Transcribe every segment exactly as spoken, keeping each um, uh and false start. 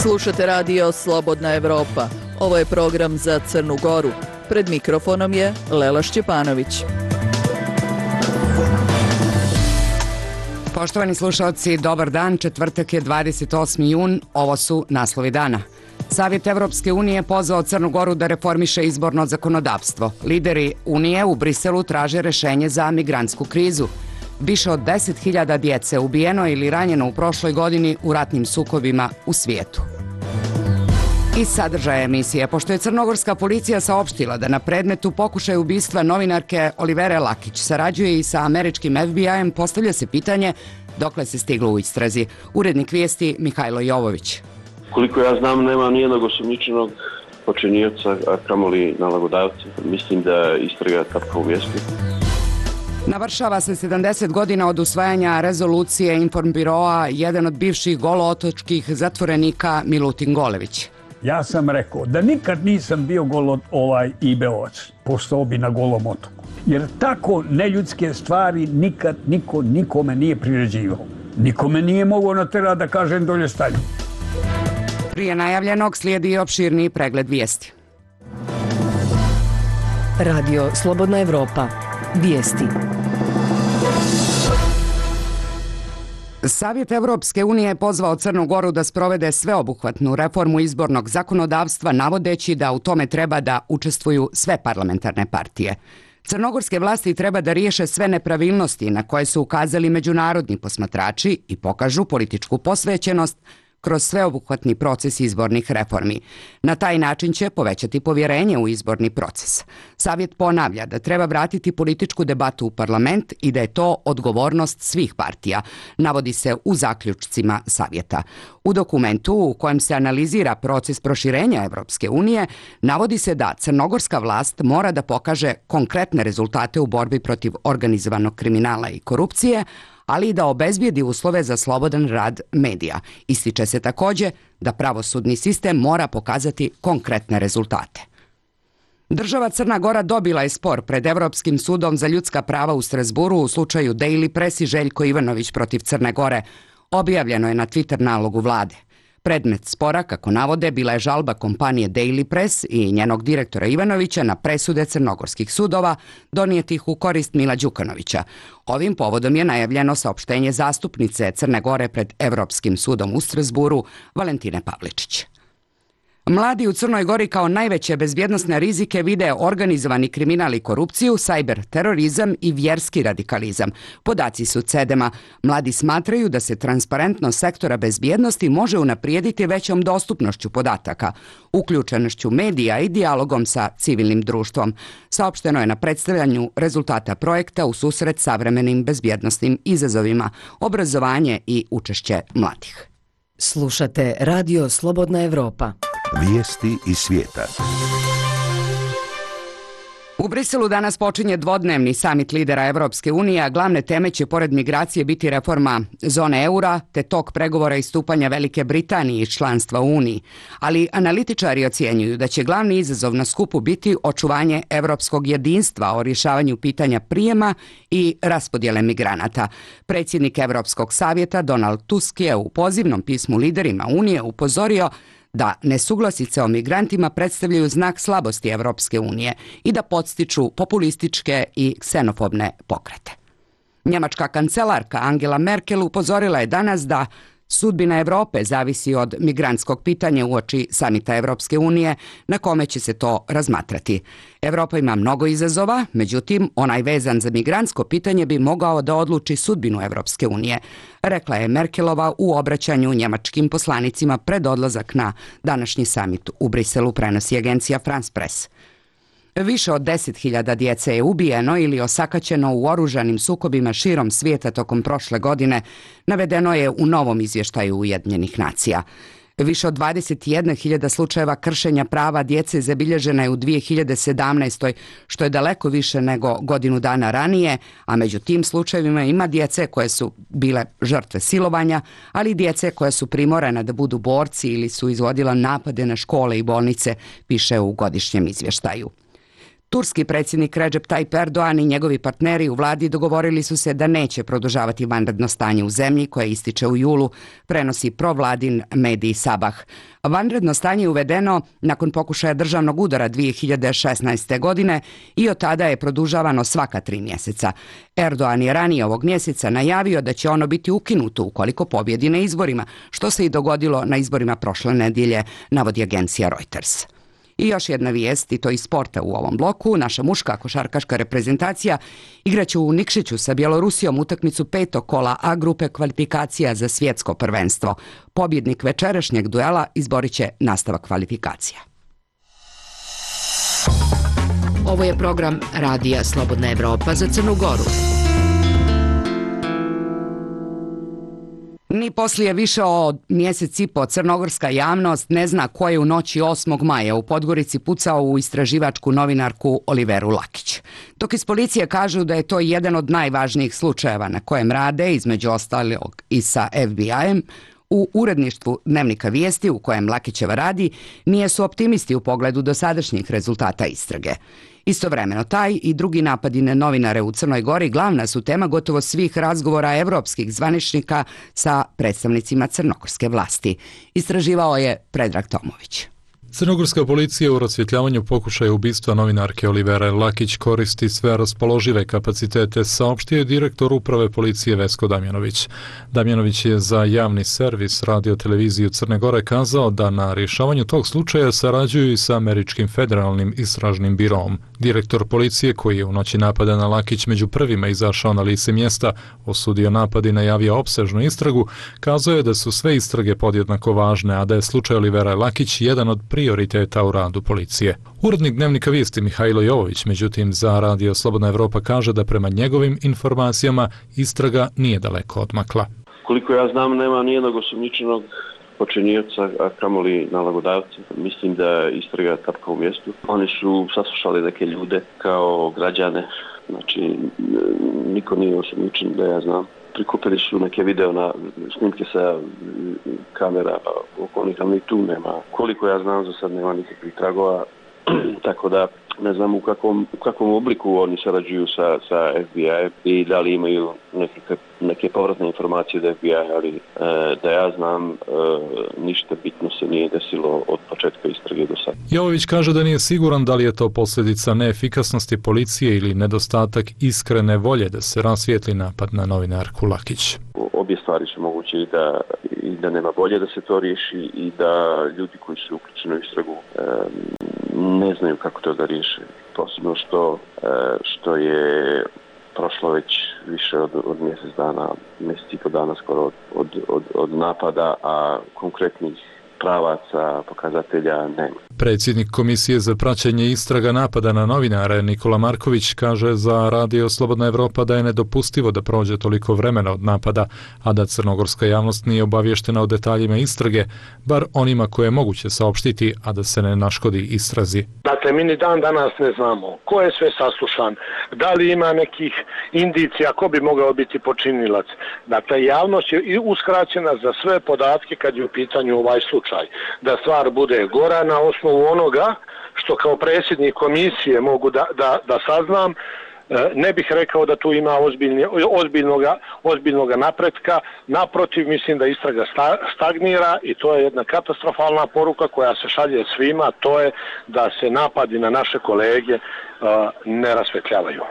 Slušate radio Slobodna Evropa. Ovo je program za Crnu Goru. Pred mikrofonom je Lela Šćepanović. Poštovani slušalci, dobar dan. Četvrtak je dvadeset osmi jun. Ovo su naslovi dana. Savjet Evropske unije pozvao Crnu Goru da reformiše izborno zakonodavstvo. Lideri Unije u Briselu traže rešenje za migrantsku krizu. Više od deset hiljada djece ubijeno ili ranjeno u prošloj godini u ratnim sukobima u svijetu. Iz sadržaja emisije, pošto je crnogorska policija saopštila da na predmetu pokušaja ubistva novinarke Olivere Lakić sarađuje i sa američkim F B I-em, postavlja se pitanje dokle se stiglo u istrazi. Urednik vijesti Mihajlo Jovović. Koliko ja znam, nema nijednog osumnjičenog počinioca, a kamoli nalagodavca. Mislim da istraga tapka u vijesti. Navršava se sedamdeset godina od usvajanja rezolucije Informbiroa, jedan od bivših golootočkih zatvorenika Milutin Golević. Ja sam rekao da nikad nisam bio golo ovaj ibeovac, postao bi na Golom otoku. Jer tako neljudske stvari nikad niko nikome nije priređivao. Nikome nije mogao naterati da kažem dolje stanje. Prije najavljenog slijedi i opširniji pregled vijesti. Radio Slobodna Evropa. Vijesti. Savjet Evropske unije je pozvao Crnu Goru da sprovede sveobuhvatnu reformu izbornog zakonodavstva, navodeći da u tome treba da učestvuju sve parlamentarne partije. Crnogorske vlasti treba da riješe sve nepravilnosti na koje su ukazali međunarodni posmatrači i pokažu političku posvećenost kroz sveobuhvatni proces izbornih reformi. Na taj način će povećati povjerenje u izborni proces. Savjet ponavlja da treba vratiti političku debatu u parlament i da je to odgovornost svih partija, navodi se u zaključcima Savjeta. U dokumentu u kojem se analizira proces proširenja Evropske unije, navodi se da crnogorska vlast mora da pokaže konkretne rezultate u borbi protiv organizovanog kriminala i korupcije, ali i da obezbijedi uslove za slobodan rad medija. Ističe se također da pravosudni sistem mora pokazati konkretne rezultate. Država Crna Gora dobila je spor pred Evropskim sudom za ljudska prava u Strazburu u slučaju Daily Press i Željko Ivanović protiv Crne Gore. Objavljeno je na Twitter nalogu vlade. Predmet spora, kako navode, bila je žalba kompanije Daily Press i njenog direktora Ivanovića na presude crnogorskih sudova donijetih u korist Mila Đukanovića. Ovim povodom je najavljeno saopštenje zastupnice Crne Gore pred Evropskim sudom u Strazburu, Valentine Pavličić. Mladi u Crnoj Gori kao najveće bezbjednosne rizike vide organizovani kriminal i korupciju, cyber terorizam i vjerski radikalizam. Podaci su Cedema. Mladi smatraju da se transparentnost sektora bezbjednosti može unaprijediti većom dostupnošću podataka, uključenošću medija i dijalogom sa civilnim društvom. Saopšteno je na predstavljanju rezultata projekta u susret savremenim bezbjednosnim izazovima, obrazovanje i učešće mladih. Slušate Radio Slobodna Evropa. Vijesti iz svijeta. U Briselu danas počinje dvodnevni samit lidera Evropske unije, a glavne teme će pored migracije biti reforma zone eura te tok pregovora i stupanja Velike Britanije iz članstva u Uniji. Ali analitičari ocjenjuju da će glavni izazov na skupu biti očuvanje evropskog jedinstva o rješavanju pitanja prijema i raspodjele migranata. Predsjednik Evropskog savjeta Donald Tusk je u pozivnom pismu liderima Unije upozorio da nesuglasice o migrantima predstavljaju znak slabosti Evropske unije i da podstiču populističke i ksenofobne pokrete. Njemačka kancelarka Angela Merkel upozorila je danas da sudbina Evrope zavisi od migrantskog pitanja uoči samita Evropske unije na kome će se to razmatrati. Evropa ima mnogo izazova, međutim, onaj vezan za migrantsko pitanje bi mogao da odluči sudbinu Evropske unije, rekla je Merkelova u obraćanju njemačkim poslanicima pred odlazak na današnji samit u Briselu, prenosi agencija France Press. Više od deset hiljada djece je ubijeno ili osakaćeno u oružanim sukobima širom svijeta tokom prošle godine, navedeno je u novom izvještaju Ujedinjenih nacija. Više od dvadeset jedna hiljada slučajeva kršenja prava djece zabilježena je u dvije hiljade sedamnaestoj. što je daleko više nego godinu dana ranije, a među tim slučajevima ima djece koje su bile žrtve silovanja, ali i djece koje su primorana da budu borci ili su izvodila napade na škole i bolnice, piše u godišnjem izvještaju. Turski predsjednik Recep Tayyip Erdogan i njegovi partneri u vladi dogovorili su se da neće produžavati vanredno stanje u zemlji koje ističe u julu, prenosi provladin medij Sabah. Vanredno stanje je uvedeno nakon pokušaja državnog udara dvije hiljade šesnaeste. godine i od tada je produžavano svaka tri mjeseca. Erdogan je ranije ovog mjeseca najavio da će ono biti ukinuto ukoliko pobjedi na izborima, što se i dogodilo na izborima prošle nedjelje, navodi agencija Reuters. I još jedna vijest, i to iz sporta u ovom bloku. Naša muška košarkaška reprezentacija igraće u Nikšiću sa Bjelorusijom utakmicu petog kola A grupe kvalifikacija za svjetsko prvenstvo. Pobjednik večerašnjeg duela izborit će nastavak kvalifikacija. Ovo je program Radija Slobodna Evropa za Crnu Goru. Ni poslije više od mjesec i po crnogorska javnost ne zna ko je u noći osmog maja u Podgorici pucao u istraživačku novinarku Oliveru Lakić. Dok iz policije kažu da je to jedan od najvažnijih slučajeva na kojem rade, između ostalog i sa F B I-em, u uredništvu Dnevnika vijesti u kojem Lakićeva radi, nije su optimisti u pogledu dosadašnjih rezultata istrage. Istovremeno taj i drugi napadi na novinare u Crnoj Gori glavna su tema gotovo svih razgovora evropskih zvaničnika sa predstavnicima crnogorske vlasti. Istraživao je Predrag Tomović. Crnogorska policija u rasvjetljavanju pokušaja ubistva novinarke Olivere Lakić koristi sve raspoložive kapacitete, saopštio je direktor uprave policije Vesko Damjanović. Damjanović je za javni servis radio televiziju Crne Gore kazao da na rješavanju tog slučaja sarađuju i sa Američkim federalnim istražnim birom. Direktor policije, koji je u noći napada na Lakić među prvima izašao na lice mjesta, osudio napad i najavio opsežnu istragu, kazao je da su sve istrage podjednako važne, a da je slučaj Olivera Lakić jedan od prioriteta u radu policije. Urednik Dnevnika vijesti Mihajlo Jovović, međutim, za Radio Slobodna Evropa kaže da prema njegovim informacijama istraga nije daleko odmakla. Koliko ja znam, nema nijednog osumnjičenog počinioca, a kamoli nalagodavca. Mislim da je istraga tapka u mjestu. Oni su saslušali neke ljude kao građane, znači niko nije osumnjičen da ja znam. Prikupili su neke video na snimke sa kamera okolnih, ali ni tu nema. Koliko ja znam, za sad nema nikakvih tragova, tako da ne znam u kakvom, u kakvom obliku oni sarađuju sa, sa F B I i da li imaju neke, neke povratne informacije od F B I, ali e, da ja znam, e, ništa bitno se nije desilo od početka istrage do sada. Jovović kaže da nije siguran da li je to posljedica neefikasnosti policije ili nedostatak iskrene volje da se rasvijetli napad na novinarku Lakić. Obje stvari su moguće, i da, i da nema volje da se to riješi i da ljudi koji su uključeni u istragu e, ne znaju kako to da riješe. Posebno što, e, što je prošlo već više od, od mjesec dana, mjesec i po dana skoro od, od, od, od napada, a konkretnih pravaca, pokazatelja nema. Predsjednik Komisije za praćenje istraga napada na novinare Nikola Marković kaže za Radio Slobodna Evropa da je nedopustivo da prođe toliko vremena od napada, a da crnogorska javnost nije obavještena o detaljima istrage, bar onima koje je moguće saopštiti, a da se ne naškodi istrazi. Dakle, mi ni dan danas ne znamo ko je sve saslušan, da li ima nekih indicija ko bi mogao biti počinilac. Dakle, javnost je uskraćena za sve podatke kad je u pitanju ovaj slučaj. Da stvar bude gora na osnovu onoga što kao predsjednik komisije mogu da, da, da saznam, ne bih rekao da tu ima ozbiljnoga, ozbiljnoga napretka. Naprotiv, mislim da istraga stagnira i to je jedna katastrofalna poruka koja se šalje svima, to je da se napadi na naše kolege ne rasvetljavaju.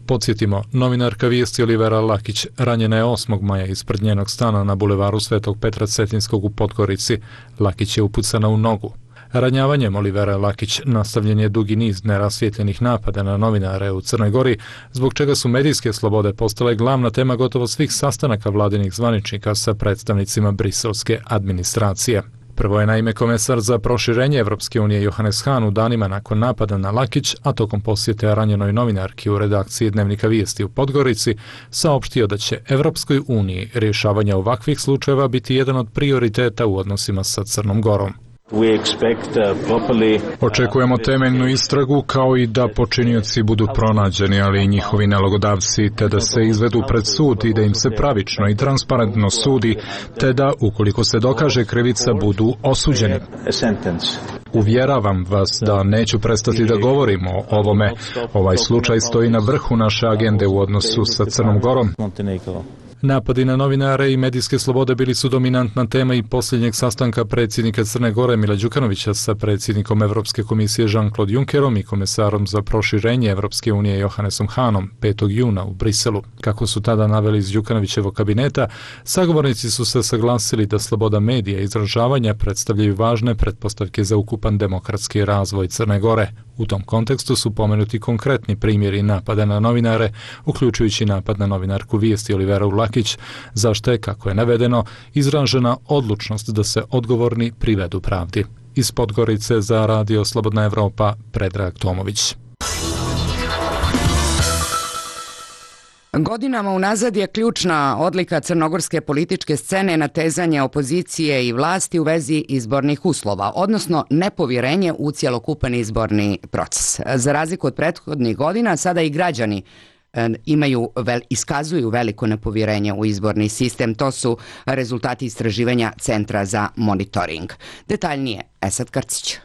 Podsjetimo, novinarka vijesti Olivera Lakić ranjena je osmog maja ispred njenog stana na bulevaru Svetog Petra Cetinskog u Podgorici. Lakić je upucana u nogu. Ranjavanjem Olivera Lakić nastavljen je dugi niz nerasvijetljenih napada na novinare u Crnoj Gori, zbog čega su medijske slobode postale glavna tema gotovo svih sastanaka vladinih zvaničnika sa predstavnicima briselske administracije. Prvo je naime komesar za proširenje Evropske unije Johannes Hahn u danima nakon napada na Lakić, a tokom posjete ranjenoj novinarki u redakciji Dnevnika vijesti u Podgorici, saopštio da će Evropskoj uniji rješavanje ovakvih slučajeva biti jedan od prioriteta u odnosima sa Crnom Gorom. Očekujemo temeljnu istragu kao i da počinioci budu pronađeni, ali i njihovi nalogodavci, te da se izvedu pred sud i da im se pravično i transparentno sudi, te da, ukoliko se dokaže krivica, budu osuđeni. Uvjeravam vas da neću prestati da govorim o ovome. Ovaj slučaj stoji na vrhu naše agende u odnosu sa Crnom Gorom. Napadi na novinare i medijske slobode bili su dominantna tema i posljednjeg sastanka predsjednika Crne Gore Mila Đukanovića sa predsjednikom Evropske komisije Jean-Claude Junckerom i komesarom za proširenje Evropske unije Johannesom Hanom petog juna u Briselu. Kako su tada naveli iz Đukanovićevog kabineta, sagovornici su se saglasili da sloboda medija i izražavanja predstavljaju važne pretpostavke za ukupan demokratski razvoj Crne Gore. U tom kontekstu su pomenuti konkretni primjeri napada na novinare, uključujući napad na novinarku Vijesti Oliveru Lakić, za što je, kako je navedeno, izražena odlučnost da se odgovorni privedu pravdi. Iz Podgorice za Radio Slobodna Evropa, Predrag Tomović. Godinama unazad je ključna odlika crnogorske političke scene natezanje opozicije i vlasti u vezi izbornih uslova, odnosno nepovjerenje u cjelokupan izborni proces. Za razliku od prethodnih godina, sada i građani imaju, iskazuju veliko nepovjerenje u izborni sistem. To su rezultati istraživanja Centra za monitoring. Detaljnije, Esad Karcić.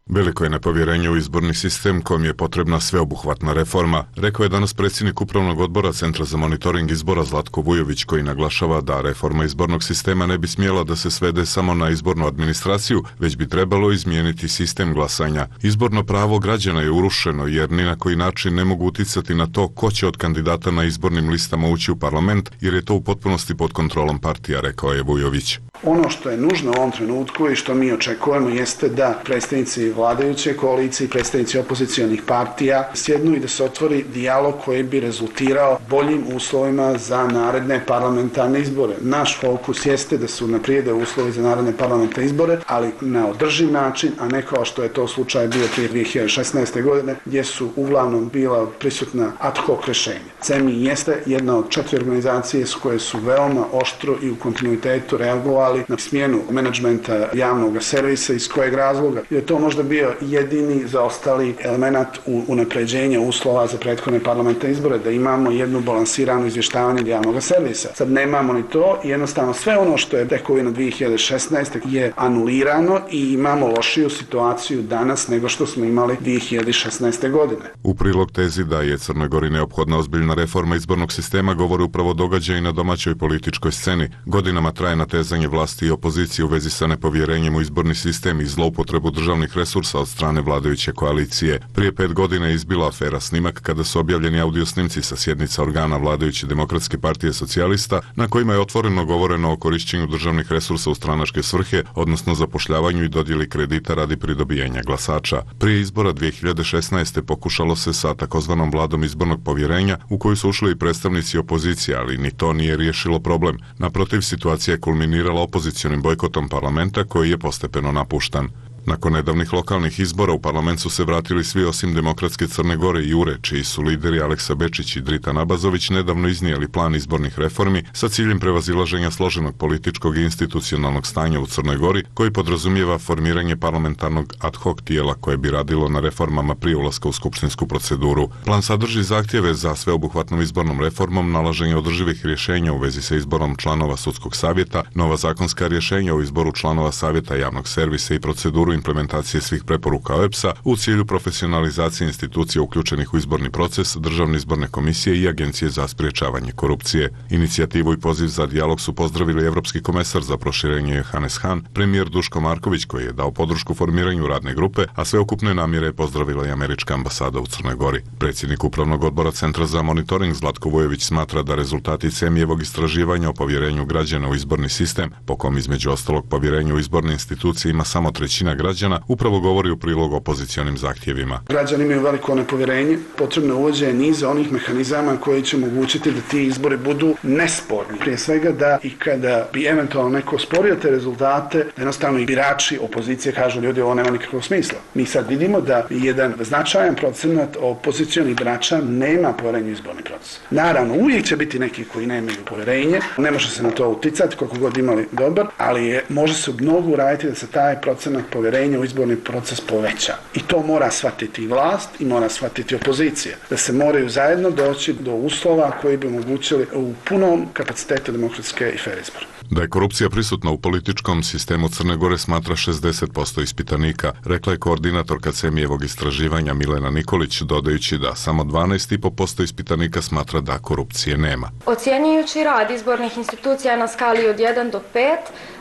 Veliko je nepovjerenje u izborni sistem kojem je potrebna sveobuhvatna reforma, rekao je danas predsjednik Upravnog odbora Centra za monitoring izbora Zlatko Vujović, koji naglašava da reforma izbornog sistema ne bi smjela da se svede samo na izbornu administraciju, već bi trebalo izmijeniti sistem glasanja. Izborno pravo građana je urušeno jer ni na koji način ne mogu uticati na to ko će od kandidata na izbornim listama ući u parlament, jer je to u potpunosti pod kontrolom partija, rekao je Vujović. Ono što je nužno u ovom trenutku i što mi očekujemo jeste da predstavnici vladajuće koalicije i predstavnici opozicionih partija sjednu i da se otvori dijalog koji bi rezultirao boljim uslovima za naredne parlamentarne izbore. Naš fokus jeste da se unaprijede uslovi za naredne parlamentarne izbore, ali na održiv način, a ne kao što je to slučaj bio prije dvije hiljade šesnaeste. godine, gdje su uglavnom bila prisutna ad hoc rješenja. C E M I jeste jedna od četiri organizacije s koje su veoma oštro i u kontinuitetu reagovali na smjenu menadžmenta javnog servisa, iz kojeg razloga je to možda bio jedini zaostali element u unapređenja uslova za prethodne parlamentarne izbore, da imamo jednu balansiranu izvještavanje javnog servisa. Sad nemamo ni to i jednostavno sve ono što je tekovina dvije hiljade šesnaeste. je anulirano i imamo lošiju situaciju danas nego što smo imali dvije hiljade šesnaeste. godine. U prilog tezi da je Crnoj Gori neophodna ozbiljna reforma izbornog sistema govori upravo događaj na domaćoj političkoj sceni. Godinama traje natezanje vlasti i opozicije u vezi sa nepovjerenjem u izborni sistem i zloupotrebu državnih resursa od strane vladajuće koalicije. Prije pet godina je izbila afera Snimak kada su objavljeni audio snimci sa sjednica organa vladajuće Demokratske partije socijalista na kojima je otvoreno govoreno o korišćenju državnih resursa u stranačke svrhe, odnosno zapošljavanju i dodjeli kredita radi pridobijanja glasača. Prije izbora dvije hiljade šesnaeste. pokušalo se sa takozvanom vladom izbornog povjerenja u koju su ušli i predstavnici opozicije, ali ni to nije riješilo problem. Naprotiv, situacija je kulminirala opozicionim bojkotom parlamenta koji je postepeno napuštan. Nakon nedavnih lokalnih izbora u parlament su se vratili svi osim Demokratske Crne Gore i Jure, čiji su lideri Aleksa Bečić i Drita Nabazović nedavno iznijeli plan izbornih reformi sa ciljem prevazilaženja složenog političkog i institucionalnog stanja u Crnoj Gori, koji podrazumijeva formiranje parlamentarnog ad hoc tijela koje bi radilo na reformama prije ulaska u skupštinsku proceduru. Plan sadrži zahtjeve za sveobuhvatnom izbornom reformom, nalaženje održivih rješenja u vezi sa izborom članova sudskog savjeta, nova zakonska rješenja o izboru članova savjeta javnog servisa i proceduru implementacije svih preporuka O E B S-a u cilju profesionalizacije institucija uključenih u izborni proces, Državne izborne komisije i Agencije za sprječavanje korupcije. Inicijativu i poziv za dijalog su pozdravili Evropski komesar za proširenje Johannes Hahn, premijer Duško Marković koji je dao podršku formiranju radne grupe, a sveukupne namjere je pozdravila i američka ambasada u Crnoj Gori. Predsjednik Upravnog odbora Centra za monitoring Zlatko Vujović smatra da rezultati C E M I-evog istraživanja o povjerenju građana u izborni sistem, po kom između ostalog povjerenju u izborne institucije ima samo trećina građana, upravo govori u prilog opozicionim zahtjevima. Građani imaju veliko nepovjerenje, potrebno je uvođenje niza onih mehanizama koji će omogućiti da ti izbori budu nesporni. Prije svega da i kada bi eventualno neko sporio te rezultate, da jednostavno i birači opozicije kažu ljudi ovo nema nikakvog smisla. Mi sad vidimo da jedan značajan procenat opozicionih birača nema povjerenje u izborni proces. Naravno, uvijek će biti neki koji nemaju povjerenje, ne može se na to uticati koliko god imali dobar, ali je, može se mnogo uraditi da se taj procenat povjerenja poverenje u izborni proces poveća. I to mora shvatiti vlast i mora shvatiti opozicija. Da se moraju zajedno doći do uslova koji bi omogućili u punom kapacitetu demokratske i fer izbora. Da je korupcija prisutna u političkom sistemu Crne Gore smatra šezdeset posto ispitanika, rekla je koordinatorka Cemijevog istraživanja Milena Nikolić, dodajući da samo dvanaest zarez pet posto ispitanika smatra da korupcije nema. Ocjenjujući rad izbornih institucija na skali od jedan do pet,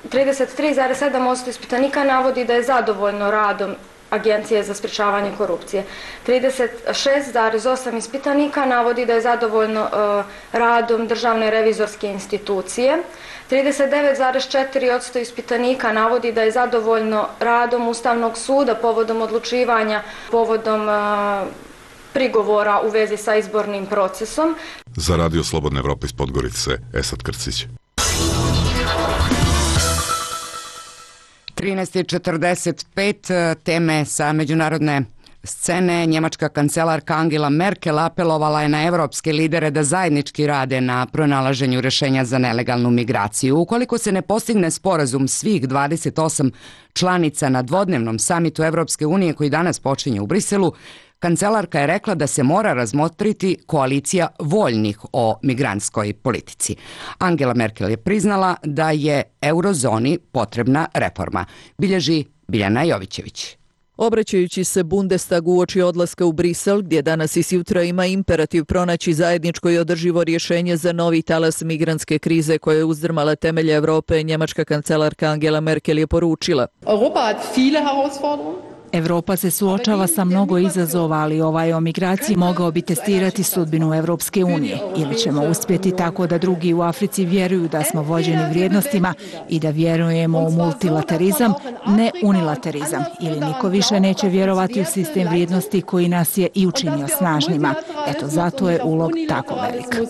trideset tri zarez sedam posto ispitanika navodi da je zadovoljno radom Agencije za sprječavanje korupcije. trideset šest zarez osam ispitanika navodi da je zadovoljno uh, radom Državne revizorske institucije. trideset devet zarez četiri posto ispitanika navodi da je zadovoljno radom Ustavnog suda povodom odlučivanja, povodom uh, prigovora u vezi sa izbornim procesom. Za Radio Slobodne Evrope iz Podgorice, Esad Krcić. trinaest četrdeset pet, teme sa međunarodne scene. Njemačka kancelarka Angela Merkel apelovala je na evropske lidere da zajednički rade na pronalaženju rešenja za nelegalnu migraciju. Ukoliko se ne postigne sporazum svih dvadeset osam članica na dvodnevnom samitu Evropske unije koji danas počinje u Briselu, kancelarka je rekla da se mora razmotriti koalicija voljnih o migrantskoj politici. Angela Merkel je priznala da je eurozoni potrebna reforma. Bilježi Biljana Jovićević. Obraćajući se Bundestagu uoči odlaska u Brisel, gdje danas i sutra ima imperativ pronaći zajedničko i održivo rješenje za novi talas migrantske krize koja je uzdrmala temelje Evrope, njemačka kancelarka Angela Merkel je poručila: Europa hat viele Herausforderungen. Evropa se suočava sa mnogo izazova, ali ovaj o migraciji mogao bi testirati sudbinu Evropske unije. Ili ćemo uspjeti tako da drugi u Africi vjeruju da smo vođeni vrijednostima i da vjerujemo u multilaterizam, ne unilaterizam. Ili niko više neće vjerovati u sistem vrijednosti koji nas je i učinio snažnima. Eto, zato je ulog tako velik.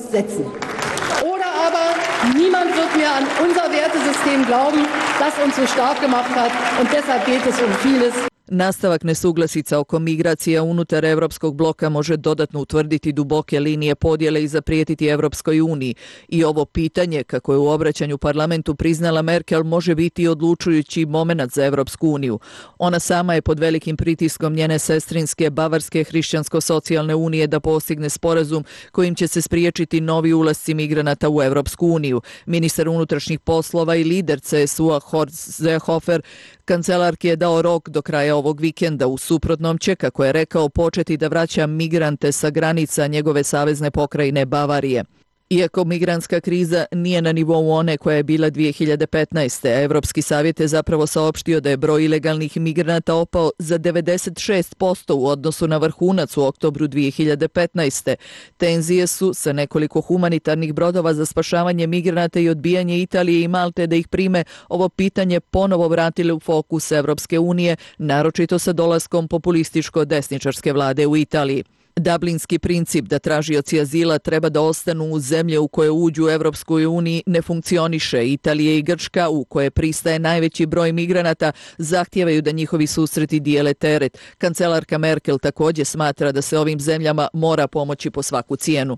Niemand wird mehr an unser Wertesystem glauben, das uns so stark gemacht hat, und deshalb geht es um vieles. Nastavak nesuglasica oko migracija unutar Evropskog bloka može dodatno utvrditi duboke linije podjele i zaprijetiti Evropskoj uniji. I ovo pitanje, kako je u obraćanju parlamentu priznala Merkel, može biti odlučujući momenat za Evropsku uniju. Ona sama je pod velikim pritiskom njene sestrinske Bavarske hrišćansko-socijalne unije da postigne sporazum kojim će se spriječiti novi ulasci migranata u Evropsku uniju. Ministar unutrašnjih poslova i lider C S U-a Horst Seehofer kancelarki je dao rok do kraja ovog vikenda. U suprotnom će, kako je rekao, početi da vraća migrante sa granica njegove savezne pokrajine Bavarije. Iako migrantska kriza nije na nivou one koja je bila dvije hiljade petnaeste. Evropski savjet je zapravo saopštio da je broj ilegalnih migranata opao za devedeset šest posto u odnosu na vrhunac u oktobru dvije hiljade petnaeste. Tenzije su sa nekoliko humanitarnih brodova za spašavanje migranata i odbijanje Italije i Malte da ih prime ovo pitanje ponovo vratili u fokus Evropske unije, naročito sa dolaskom populističko-desničarske vlade u Italiji. Dublinski princip da tražioci azila treba da ostanu u zemlje u koje uđu u Evropskoj uniji ne funkcioniše. Italija i Grčka, u koje pristaje najveći broj migranata, zahtijevaju da njihovi susreti dijele teret. Kancelarka Merkel također smatra da se ovim zemljama mora pomoći po svaku cijenu.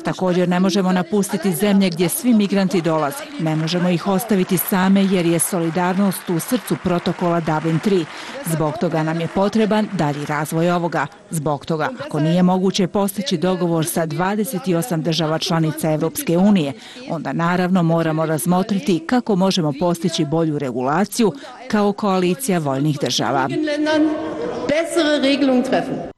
Također ne možemo napustiti zemlje gdje svi migranti dolaze. Ne možemo ih ostaviti same jer je solidarnost u srcu protokola Dublin tri. Zbog toga nam je potreban dalji razvoj ovoga. Zbog toga, ako nije moguće postići dogovor sa dvadeset osam država članica Evropske unije, onda naravno moramo razmotriti kako možemo postići bolju regulaciju kao koalicija voljnih država.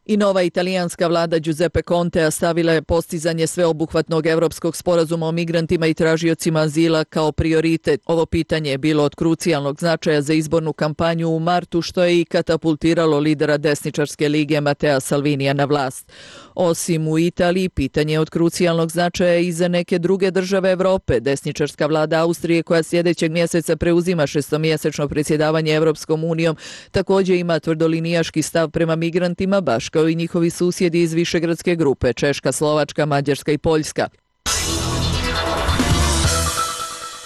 I nova italijanska vlada Giuseppe Contea stavila je postizanje sveobuhvatnog evropskog sporazuma o migrantima i tražiocima azila kao prioritet. Ovo pitanje je bilo od krucijalnog značaja za izbornu kampanju u martu, što je i katapultiralo lidera desničarske lige Matteo Salvinija na vlast. Osim u Italiji, pitanje je od krucijalnog značaja i za neke druge države Evrope. Desničarska vlada Austrije, koja sljedećeg mjeseca preuzima šestomjesečno predsjedavanje Evropskom unijom, također ima tvrdolinijaški stav prema migrantima, baš kao i njihovi susjedi iz višegradske grupe Češka, Slovačka, Mađarska i Poljska.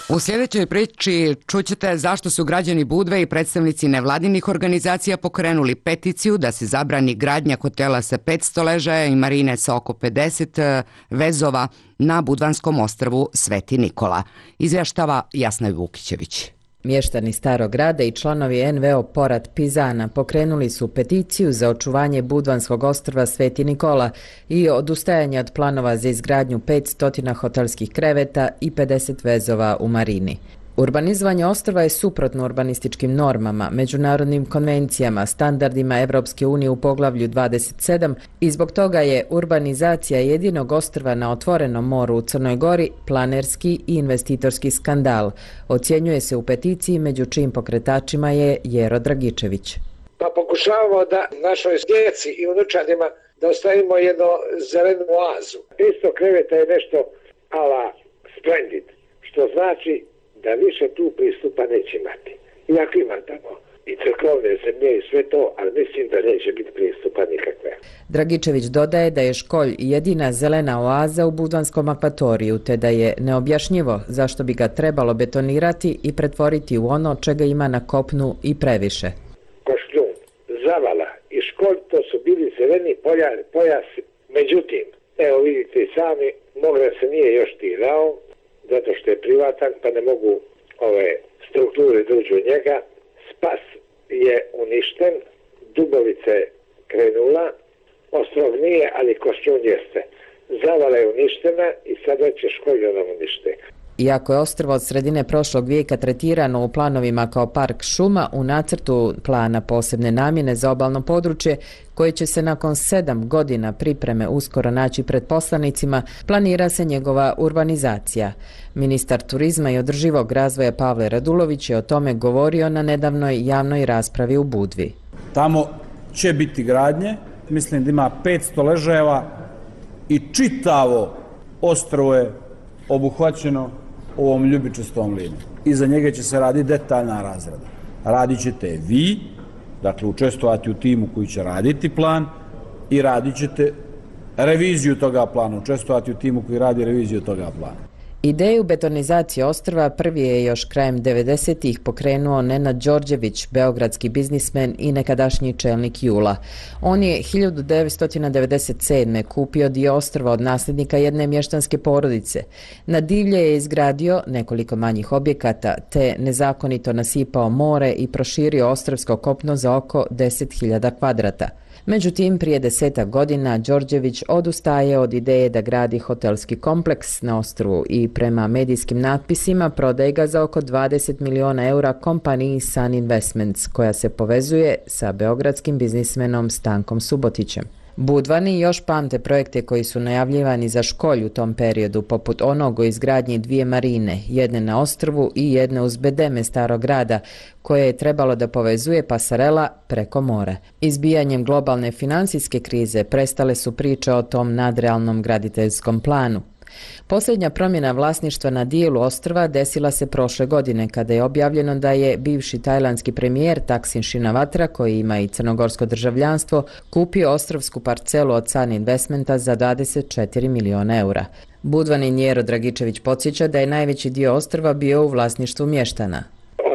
U sljedećoj priči čućete zašto su građani Budve i predstavnici nevladinih organizacija pokrenuli peticiju da se zabrani gradnja hotela sa petsto ležaja i marine sa oko pedeset vezova na budvanskom ostrvu Sveti Nikola. Izvještava Jasna Vukićević. Mještani Starog grada i članovi en ve o Porat Pizana pokrenuli su peticiju za očuvanje Budvanskog ostrva Sveti Nikola i odustajanje od planova za izgradnju petsto hotelskih kreveta i pedeset vezova u marini. Urbanizovanje ostrva je suprotno urbanističkim normama, međunarodnim konvencijama, standardima Evropske unije u poglavlju dvadeset sedam i zbog toga je urbanizacija jedinog ostrva na otvorenom moru u Crnoj Gori planerski i investitorski skandal, ocjenjuje se u peticiji među čijim pokretačima je Jero Dragičević. Pa pokušavamo da našoj djeci i unučadima da ostavimo jednu zelenu oazu. petsto kreveta je nešto ala splendid, što znači da više tu pristupa neće imati. Iako ima tamo i crkvovne zemlje i sve to, ali mislim da neće biti pristupa nikakve. Dragičević dodaje da je Školj jedina zelena oaza u Budvanskom akvatoriju, te da je neobjašnjivo zašto bi ga trebalo betonirati i pretvoriti u ono čega ima na kopnu i previše. Košljun, Zavala i Školj to su bili zeleni pojasi. Međutim, evo vidite i sami, Mogran se nije još tirao, zato što je privatan, pa ne mogu ove strukture dođu u njega. Spas je uništen, Dubovica je krenula, Ostrog nije, ali Košćun jeste. Zavala je uništena i sada će Školj nam unište. Iako je ostrvo od sredine prošlog vijeka tretirano u planovima kao park šuma, u nacrtu plana posebne namjene za obalno područje, koje će se nakon sedam godina pripreme uskoro naći pred poslanicima, planira se njegova urbanizacija. Ministar turizma i održivog razvoja Pavle Radulović je o tome govorio na nedavnoj javnoj raspravi u Budvi. Tamo će biti gradnje, mislim da ima petsto ležajeva i čitavo ostrvo je obuhvaćeno ovom ljubičastom linijom. Iza njega će se raditi detaljna razrada. Radit ćete vi, dakle učestvovati u timu koji će raditi plan i radit ćete reviziju toga plana, učestvovati u timu koji radi reviziju toga plana. Ideju betonizacije ostrva prvi je još krajem devedesetih pokrenuo Nenad Đorđević, beogradski biznismen i nekadašnji čelnik Jula. On je hiljadu devetsto devedeset sedme kupio dio ostrva od nasljednika jedne mještanske porodice. Na divlje je izgradio nekoliko manjih objekata, te nezakonito nasipao more i proširio ostrvsko kopno za oko deset hiljada kvadrata. Međutim, prije desetak godina Đorđević odustaje od ideje da gradi hotelski kompleks na ostrvu i prema medijskim natpisima prodaje ga za oko dvadeset miliona eura kompaniji Sun Investments, koja se povezuje sa beogradskim biznismenom Stankom Subotićem. Budvani još pamte projekte koji su najavljivani za Školj u tom periodu, poput onog o izgradnji dvije marine, jedne na ostrvu i jedne uz bedeme Starog grada, koje je trebalo da povezuje pasarela preko mora. Izbijanjem globalne finansijske krize prestale su priče o tom nadrealnom graditeljskom planu. Posljednja promjena vlasništva na dijelu ostrva desila se prošle godine kada je objavljeno da je bivši tajlandski premijer Taksin Shinawatra, koji ima i crnogorsko državljanstvo, kupio ostrovsku parcelu od Sun Investmenta za dvadeset četiri miliona eura. Budvanin Jero Dragičević podsjeća da je najveći dio ostrva bio u vlasništvu mještana.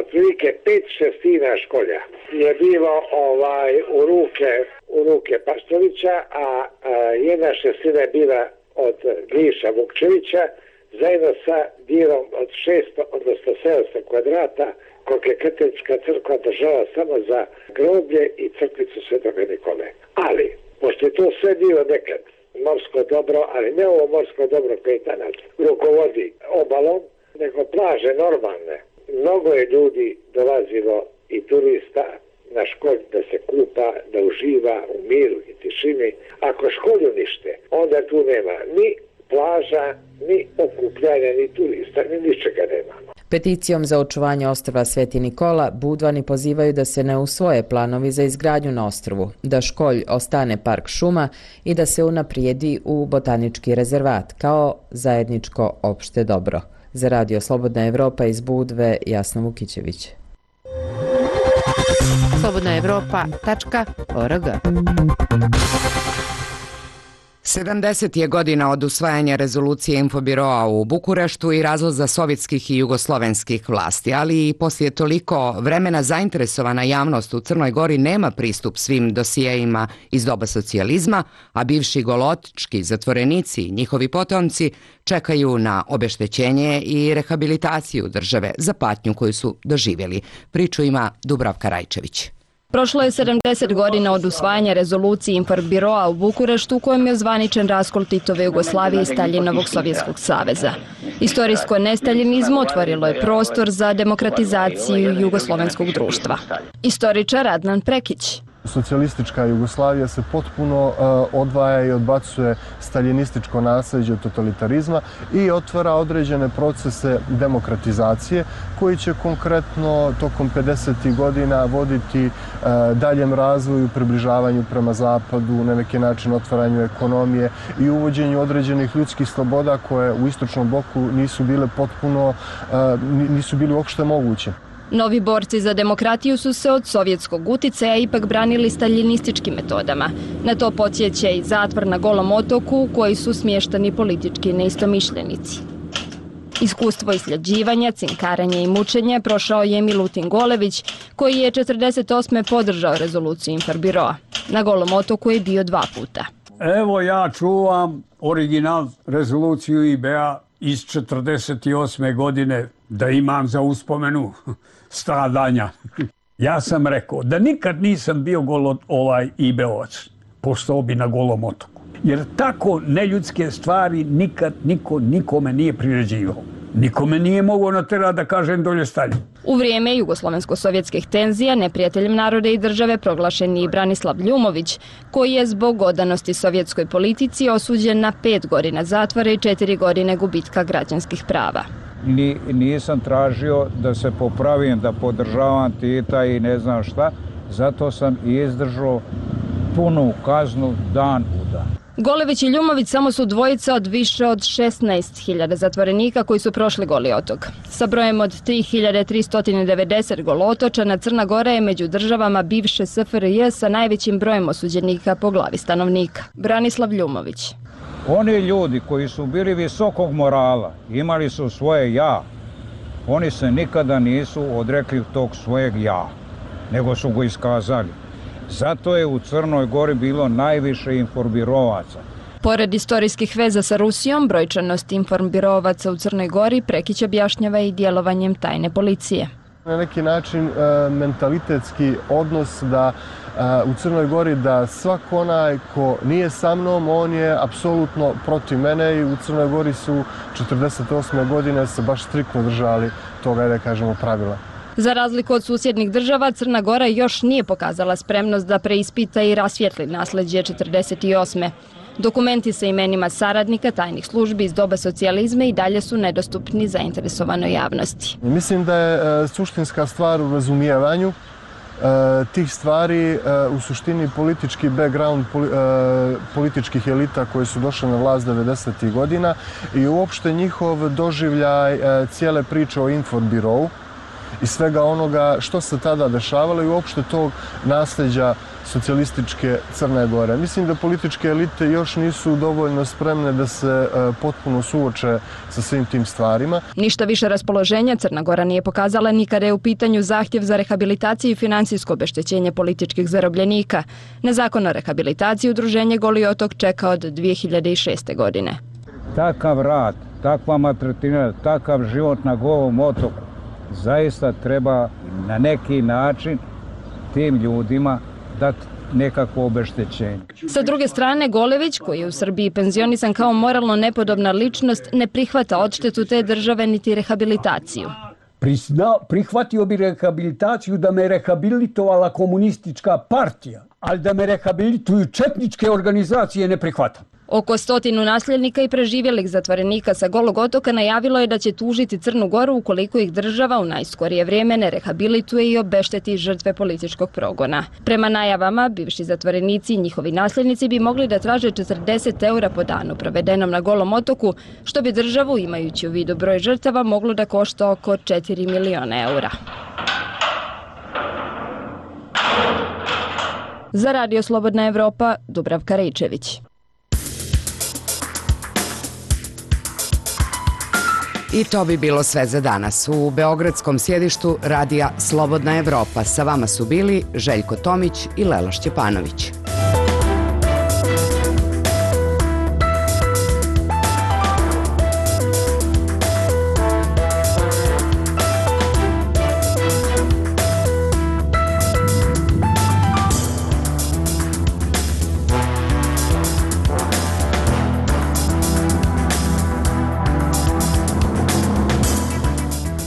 Otprilike pet šestina Školja je bilo ovaj, u ruke, u ruke Paštovića, a, a jedna šestina je bila od Gliša Vukčevića, zajedno sa dijelom od šesto, odnosno sedamsto kvadrata, koliko je katolička crkva držala samo za groblje i crkvicu Svetoga Nikole. Ali, pošto je to sve bilo nekad morsko dobro, ali ne ovo morsko dobro koje danas rukovodi obalom, nego plaže normalne. Mnogo je ljudi dolazilo i turista na Školj da se kupa, da uživa u miru i tišini. Ako Školj unište, onda tu nema ni plaža, ni okupljanja, ni turista, ni ničega nema. Peticijom za očuvanje ostrva Sveti Nikola, Budvani pozivaju da se ne usvoje planovi za izgradnju na ostrvu, da Školj ostane park šuma i da se unaprijedi u botanički rezervat kao zajedničko opšte dobro. Za Radio Slobodna Evropa iz Budve, Jasna Vukićević. slobodna evropa tačka org sedamdeset je godina od usvajanja rezolucije Infobiroa u Bukureštu i razlaza sovjetskih i jugoslovenskih vlasti, ali i poslije toliko vremena zainteresovana javnost u Crnoj Gori nema pristup svim dosijejima iz doba socijalizma, a bivši golotički zatvorenici i njihovi potomci čekaju na obeštećenje i rehabilitaciju države za patnju koju su doživjeli. Priču ima Dubravka Rajčević. Prošlo je sedamdeset godina od usvajanja rezolucije Infobiroa u Bukureštu u kojem je ozvaničen raskol Titove Jugoslavije i Staljinovog Sovjetskog saveza. Istorijsko nestaljinizmo otvorilo je prostor za demokratizaciju jugoslovenskog društva. Istoričar Adnan Prekić. Socijalistička Jugoslavija se potpuno uh, odvaja i odbacuje staljinističko nasljeđe totalitarizma i otvara određene procese demokratizacije koji će konkretno tokom pedesetih godina voditi uh, daljem razvoju, približavanju prema zapadu, na neki način otvaranju ekonomije i uvođenju određenih ljudskih sloboda koje u istočnom bloku nisu bile potpuno, uh, nisu bili uopšte moguće. Novi borci za demokratiju su se od sovjetskog uticaja ipak branili staljinističkim metodama. Na to podsjeća i zatvor na Golom otoku u koji su smješteni politički neistomišljenici. Iskustvo isljeđivanja, cinkaranja i mučenja prošao je Milutin Golević, koji je četrdeset osme podržao rezoluciju Infobiroa. Na Golom otoku je bio dva puta. Evo ja čuvam original rezoluciju I B A iz četrdeset osme godine da imam za uspomenu stradanja. Ja sam rekao da nikad nisam bio golo, ovaj I B O-ac, postao bi na Golom otoku. Jer tako neljudske stvari nikad niko nikome nije priređivao. Nikome nije mogao natjerati da kažem dolje Staljin. U vrijeme jugoslovensko-sovjetskih tenzija neprijateljem naroda i države proglašen je i Branislav Ljumović, koji je zbog odanosti sovjetskoj politici osuđen na pet godina zatvora i četiri godine gubitka građanskih prava. Ni, nisam tražio da se popravim, da podržavam Tita i ne znam šta, zato sam i izdržao punu kaznu dan u dan. Golević i Ljumović samo su dvojica od više od šesnaest hiljada zatvorenika koji su prošli Goli otok. Sa brojem od tri hiljade tristo devedeset golotočana Crna Gora je među državama bivše S F R J sa najvećim brojem osuđenika po glavi stanovnika. Branislav Ljumović. Oni ljudi koji su bili visokog morala, imali su svoje ja, oni se nikada nisu odrekli tog svojeg ja, nego su go iskazali. Zato je u Crnoj Gori bilo najviše informirovaca. Pored istorijskih veza sa Rusijom, brojčanost informirovaca u Crnoj Gori Prekić objašnjava i djelovanjem tajne policije. Na neki način e, mentalitetski odnos da e, u Crnoj Gori da svako onaj ko nije sa mnom, on je apsolutno protiv mene i u Crnoj Gori su četrdeset osme godine se baš striktno držali toga, da kažemo, pravila. Za razliku od susjednih država, Crna Gora još nije pokazala spremnost da preispita i rasvijetli nasljeđe četrdeset osme. Dokumenti sa imenima saradnika tajnih službi iz doba socijalizma i dalje su nedostupni zainteresovanoj javnosti. Mislim da je e, suštinska stvar u razumijevanju e, tih stvari, e, u suštini politički background poli, e, političkih elita koji su došle na vlast devedesetih godina i uopšte njihov doživljaj e, cijele priče o Infobirovu i svega onoga što se tada dešavalo i uopšte tog nasljeđa socijalističke Crne Gore. Mislim da političke elite još nisu dovoljno spremne da se e, potpuno suoče sa svim tim stvarima. Ništa više raspoloženja Crna Gora nije pokazala ni kada je u pitanju zahtjev za rehabilitaciju i financijsko obeštećenje političkih zarobljenika. Na zakon o rehabilitaciji udruženje Goli otok čeka od dvije hiljade šeste. godine. Takav rad, takva maltretiranja, takav život na Golom otoku zaista treba na neki način tim ljudima dati nekakvo obeštećenje. Sa druge strane, Golević, koji je u Srbiji penzionisan kao moralno nepodobna ličnost, ne prihvata odštetu te države niti rehabilitaciju. Prisna, prihvatio bi rehabilitaciju da me rehabilitovala komunistička partija, ali da me rehabilituju četničke organizacije ne prihvatam. Oko stotinu nasljednika i preživjelih zatvorenika sa Golog otoka najavilo je da će tužiti Crnu Goru ukoliko ih država u najskorije vrijeme ne rehabilituje i obešteti žrtve političkog progona. Prema najavama, bivši zatvorenici i njihovi nasljednici bi mogli da traže četrdeset eura po danu provedenom na Golom otoku, što bi državu, imajući u vidu broj žrtava, moglo da košta oko četiri miliona eura. Za Radio Slobodna Evropa, Dubravka Rejčević. I to bi bilo sve za danas. U beogradskom sjedištu radija Slobodna Evropa sa vama su bili Željko Tomić i Lela Šćepanović.